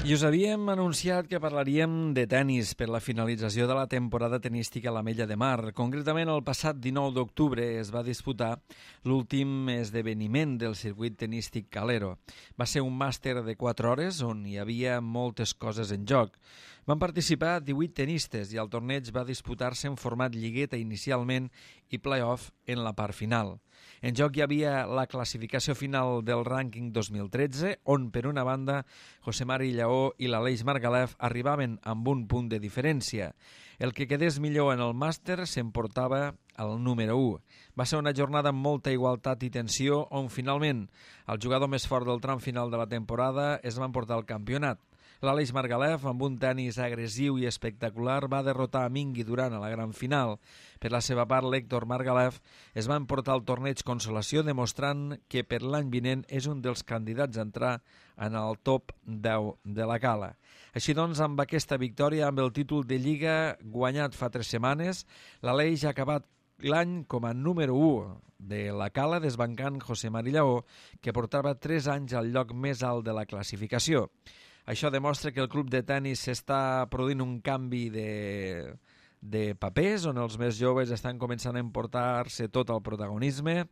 I us havíem anunciat que parlaríem de tennis per la finalització de la temporada tenística a l'Ametlla de Mar. Concretament, el passat dinou d'octubre es va disputar l'últim esdeveniment del circuit tenístic Calero. Va ser un màster de quatre hores on hi havia moltes coses en joc. Van participar divuit tenistes i el torneig va disputar-se en format lligueta inicialment i play-off en la part final. En joc hi havia la classificació final del rànquing dos mil tretze, on per una banda José Mari Lleó i l'Aleix Margalef arribaven amb un punt de diferència. El que quedés millor en el màster s'emportava el número u. Va ser una jornada amb molta igualtat i tensió, on finalment el jugador més fort del tram final de la temporada es va emportar el campionat. L'Aleix Margalef, amb un tenis agressiu i espectacular, va derrotar a Mingui Duran a la gran final. Per la seva part, l'Héctor Margalef es va emportar el torneig Consolació, demostrant que per l'any vinent és un dels candidats a entrar en el top deu de la Cala. Així doncs, amb aquesta victòria, amb el títol de Lliga guanyat fa tres setmanes, l'Aleix ha acabat l'any com a número u de la Cala, desbancant José Mari Lleó, que portava tres anys al lloc més alt de la classificació. Això demostra que el club de tenis s'està produint un canvi de, de papers, on els més joves estan començant a emportar-se tot el protagonisme.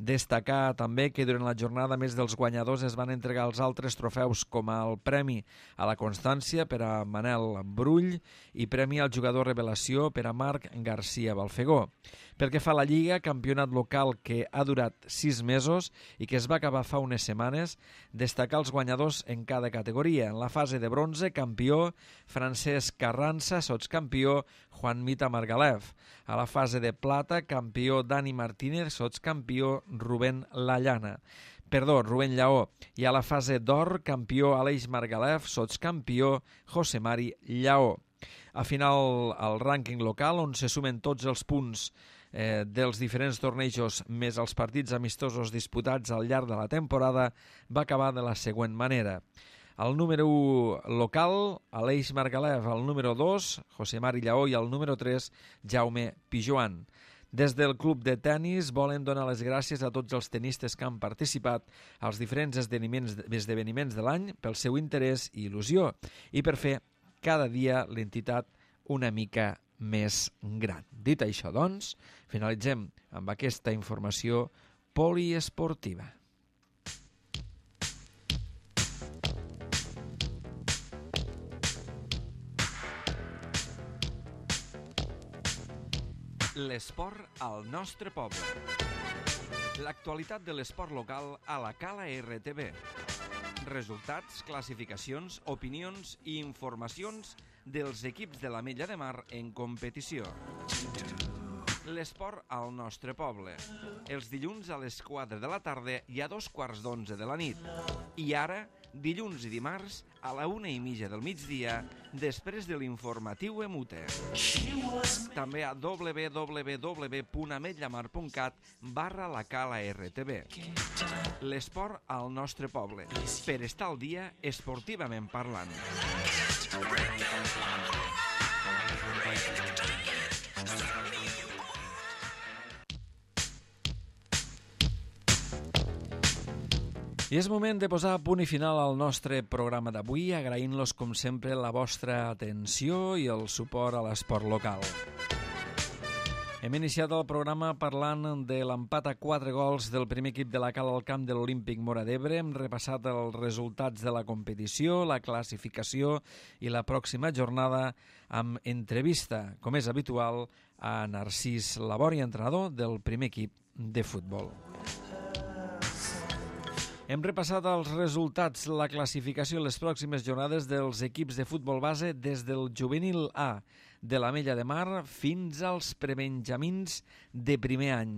Destacar també que durant la jornada més dels guanyadors es van entregar els altres trofeus, com el Premi a la Constància per a Manel Brull i Premi al Jugador Revelació per a Marc García Balfegó. Pel que fa a la Lliga, campionat local que ha durat sis mesos i que es va acabar fa unes setmanes, destacar els guanyadors en cada categoria. En la fase de bronze, campió Francesc Carranza, sotscampió Juan Mita Margalef. A la fase de plata, campió Dani Martínez, sotscampió Rubén Lallana. Perdó, Rubén Lleó. I a la fase d'or, campió Aleix Margalef, sotscampió José Mari Lleó. A final, el rànquing local, on se sumen tots els punts eh, dels diferents tornejos més els partits amistosos disputats al llarg de la temporada, va acabar de la següent manera. El número u local, Aleix Margalef, el número dos, José Mari Lleó, i el número tres, Jaume Pijoan. Des del club de tenis volen donar les gràcies a tots els tenistes que han participat als diferents esdeveniments, esdeveniments de l'any pel seu interès i il·lusió i per fer cada dia l'entitat una mica més gran. Dit això, doncs, finalitzem amb aquesta informació poliesportiva. L'esport al nostre poble. L'actualitat de l'esport local a la Cala R T V. Resultats, classificacions, opinions i informacions dels equips de l'Ametlla de Mar en competició. L'esport al nostre poble. Els dilluns a les quatre de la tarda i a dos quarts d'onze de la nit. I ara, dilluns i dimarts, a la una i mitja del migdia, després de l'informatiu Emute. També a w w w punt ametllamar punt cat barra la Cala R T V. L'esport al nostre poble. Per estar al dia, esportivament parlant. I és moment de posar punt i final al nostre programa d'avui, agraint-los, com sempre, la vostra atenció i el suport a l'esport local. Hem iniciat el programa parlant de l'empat a quatre gols del primer equip de la Cala al camp de l'Olímpic Móra d'Ebre. Hem repassat els resultats de la competició, la classificació i la pròxima jornada amb entrevista, com és habitual, a Narcís Labori, entrenador del primer equip de futbol. Hem repassat els resultats, la classificació i les pròximes jornades dels equips de futbol base des del juvenil A de l'Ametlla de Mar fins als prebenjamins de primer any.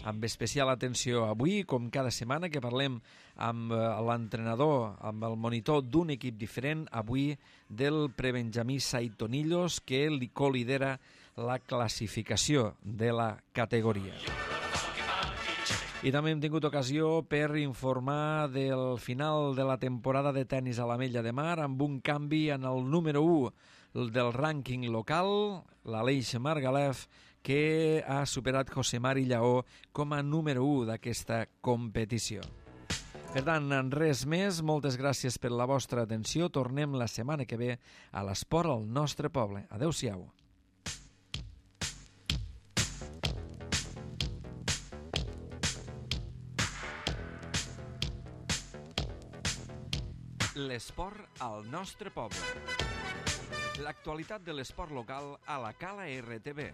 Amb especial atenció avui, com cada setmana, que parlem amb l'entrenador, amb el monitor d'un equip diferent, avui del prebenjamí Saitonillos, que li colidera la classificació de la categoria. I també hem tingut ocasió per informar del final de la temporada de tennis a l'Ametlla de Mar amb un canvi en el número u del rànquing local, l'Aleix Margalef, que ha superat José Mari Lleó com a número u d'aquesta competició. Per tant, res més, moltes gràcies per la vostra atenció. Tornem la setmana que ve a l'esport al nostre poble. Adéu-siau. L'esport al nostre poble. L'actualitat de l'esport local a la Cala R T V.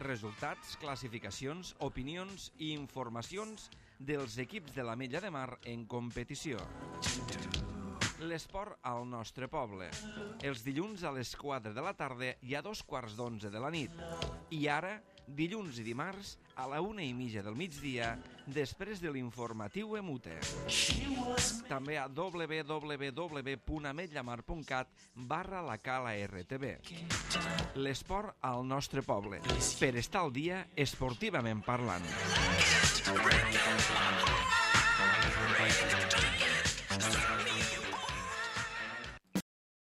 Resultats, classificacions, opinions i informacions dels equips de l'Ametlla de Mar en competició. L'esport al nostre poble. Els dilluns a les quatre de la tarda i a dos quarts d'onze de la nit. I ara, dilluns i dimarts, a la una i mitja del migdia, després de l'informatiu Emute. També a w w w punt ametllamar punt cat barra la Cala R T V. L'esport al nostre poble, per estar al dia esportivament parlant.